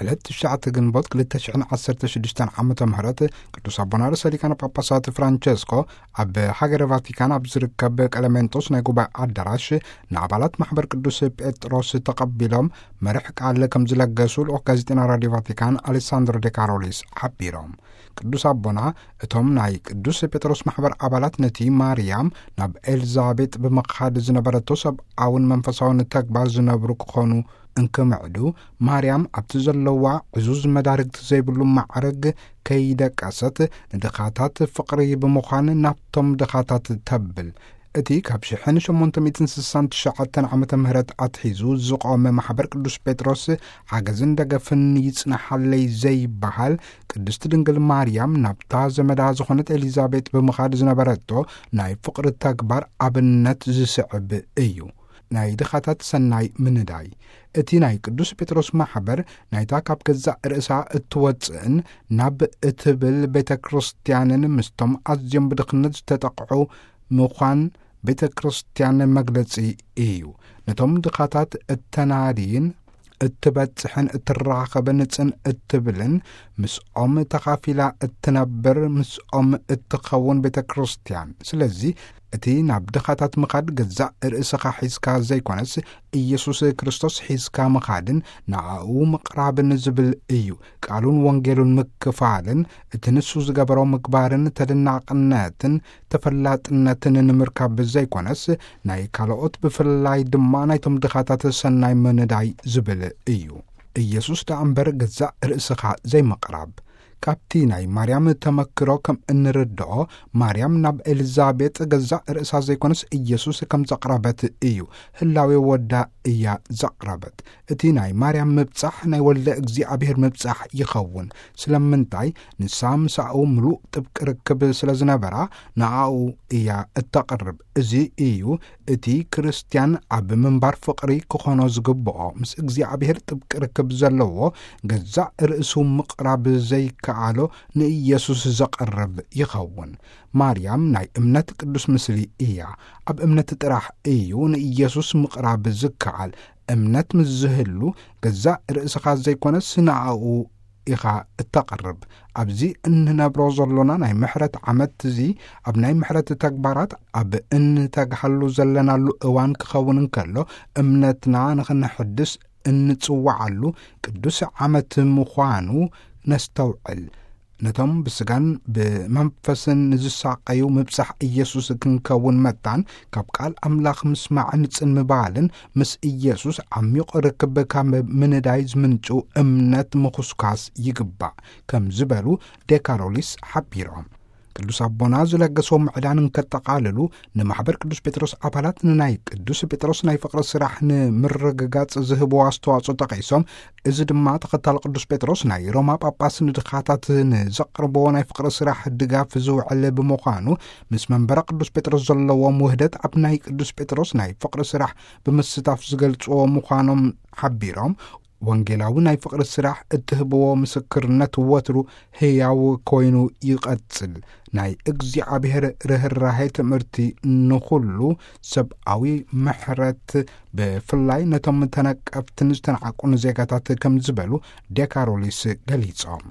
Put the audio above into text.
ዕለት ትሽዓተ ግንቦት ክልተ ሽሕን ዓሰርተ ሽዱሽተን ዓመተ ምህረት ቅዱስ ኣቦና ርእሰ ሊቃነ ጳጳሳት ፍራንቸስኮ ኣብ ሃገረ ቫቲካን ኣብ ዝርከብ ቀለሜንጦስ ናይ ጉባኤ ኣዳራሽ ንኣባላት ማሕበር ቅዱስ ጴጥሮስ ተቐቢሎም መርሕ ቃል ከም ዝለገሱ ልኡኽ ጋዜጠና ራዲዮ ቫቲካን ኣሌሳንድሮ ዴ ካሮሊስ ሓቢሮም። ቅዱስ ኣቦና እቶም ናይ ቅዱስ ጴጥሮስ ማሕበር ኣባላት ነቲ ማርያም ናብ ኤልዛቤጥ ብምኻድ ዝነበረቶ ሰብኣውን መንፈሳውን ተግባር ዝነብሩ ክኾኑ እንክምዕዱ፣ ማርያም ኣብቲ ዘለዋ ዕዙዝ መዳርግቲ ዘይብሉ ማዕረግ ከይደቀሰት ንድኻታት ፍቕሪ ብምዃን ናብቶም ድኻታት ተብል። እቲ ካብ ሽሕን ሸሞንተ ሚእትን ስሳን ትሽዓተን ዓመተ ምህረት ኣትሒዙ ዝቖመ ማሕበር ቅዱስ ጴጥሮስ ሓገዝን ደገፍን ይጽናሓለይ ዘይበሃል፣ ቅድስቲ ድንግል ማርያም ናብታ ዘመዳ ዝኾነት ኤሊዛቤጥ ብምኻድ ዝነበረቶ ናይ ፍቕሪ ተግባር ኣብነት ዝስዕብ እዩ። ናይ ድኻታት ሰናይ ምንዳይ። እቲ ናይ ቅዱስ ጴጥሮስ ማሕበር ናይታ ካብ ገዛእ ርእሳ እትወጽእን ናብ እትብል ቤተ ክርስቲያንን ምስቶም ኣዝዮም ብድኽነት ዝተጠቕዑ ምዃን ቤተ ክርስቲያን መግለጺ እዩ። ነቶም ድኻታት እተናድይን እትበጽሕን እትራኸብን ጽን እትብልን ምስኦም ተኻፊላ እትነብር ምስኦም እትኸውን ቤተ ክርስቲያን። ስለዚ እቲ ናብ ድኻታት ምኻድ ገዛእ ርእስኻ ሒዝካ ዘይኮነስ ኢየሱስ ክርስቶስ ሒዝካ ምኻድን ንኣኡ ምቕራብን ዝብል እዩ። ቃሉን ወንጌሉን ምክፋልን እቲ ንሱ ዝገበሮ ምግባርን ተደናቕነትን ተፈላጥነትን ንምርካብ ዘይኮነስ ናይ ካልኦት ብፍላይ ድማ ናይቶም ድኻታት ሰናይ ምንዳይ ዝብል እዩ። ኢየሱስ ደኣ እምበር ገዛእ ርእስኻ ዘይምቕራብ። ካብቲ ናይ ማርያም ተመክሮ ከም እንርድኦ፣ ማርያም ናብ ኤልዛቤጥ ገዛእ ርእሳ ዘይኮነስ ኢየሱስ ከም ዘቕረበት እዩ። ህላዌ ወዳ እያ ዘቕረበት። እቲ ናይ ማርያም ምብጻሕ ናይ ወልደ እግዚኣብሔር ምብጻሕ ይኸውን። ስለምንታይ? ንሳ ምሳኡ ምሉእ ጥብቂ ርክብ ስለ ዝነበራ ንኣኡ እያ እተቕርብ። እዚ እዩ እቲ ክርስትያን ኣብ ምንባር ፍቕሪ ክኾኖ ዝግብኦ። ምስ እግዚኣብሔር ጥብቂ ርክብ ዘለዎ ገዛእ ርእሱ ምቕራብ ዘይከኣሎ ንኢየሱስ ዘቐርብ ይኸውን። ማርያም ናይ እምነት ቅዱስ ምስሊ እያ። ኣብ እምነት ጥራሕ እዩ ንኢየሱስ ምቕራብ ዝከኣል። እምነት ምስ ዝህሉ ገዛእ ርእስኻ ዘይኮነስ ንኣኡ ኢኻ እተቕርብ። ኣብዚ እንነብሮ ዘሎና ናይ ምሕረት ዓመት እዚ ኣብ ናይ ምሕረት ተግባራት ኣብ እንተግሃሉ ዘለናሉ እዋን ክኸውን እንከሎ እምነትና ንኽንሕድስ እንጽዋዓሉ ቅዱስ ዓመት ምዃኑ ነስተውዕል። ነቶም ብስጋን ብመንፈስን ንዝሳቐዩ ምብጻሕ ኢየሱስ ክንከውን መታን ካብ ቃል ኣምላኽ ምስማዕን ጽን ምባልን ምስ ኢየሱስ ዓሚቕ ርክብ ካብ ምንዳይ ዝምንጩ እምነት ምኹስኳስ ይግባእ ከም ዝበሉ ዴካሮሊስ ሓቢሮም። ቅዱስ ኣቦና ዝለገሰዎ ምዕዳን እንከጠቓልሉ ንማሕበር ቅዱስ ጴጥሮስ ኣባላት ንናይ ቅዱስ ጴጥሮስ ናይ ፍቕሪ ስራሕ ንምርግጋጽ ዝህብዎ ኣስተዋጽኦ ጠቒሶም፣ እዚ ድማ ተኸታሊ ቅዱስ ጴጥሮስ ናይ ሮማ ጳጳስ ንድኻታት ንዘቕርብዎ ናይ ፍቕሪ ስራሕ ድጋፍ ዝውዕል ብምዃኑ ምስ መንበረ ቅዱስ ጴጥሮስ ዘለዎም ውህደት ኣብ ናይ ቅዱስ ጴጥሮስ ናይ ፍቕሪ ስራሕ ብምስታፍ ዝገልጽዎ ምዃኖም ሓቢሮም፣ ወንጌላዊ ናይ ፍቕሪ ስራሕ እትህብዎ ምስክርነት ወትሩ ህያው ኮይኑ ይቐጽል። ናይ እግዚኣብሔር ርህራሄ ትምህርቲ ንኹሉ ሰብኣዊ ምሕረት ብፍላይ ነቶም ተነቀፍትን ዝተናዕቁን ዜጋታት ከም ዝበሉ ዴካሮሊስ ገሊጾም።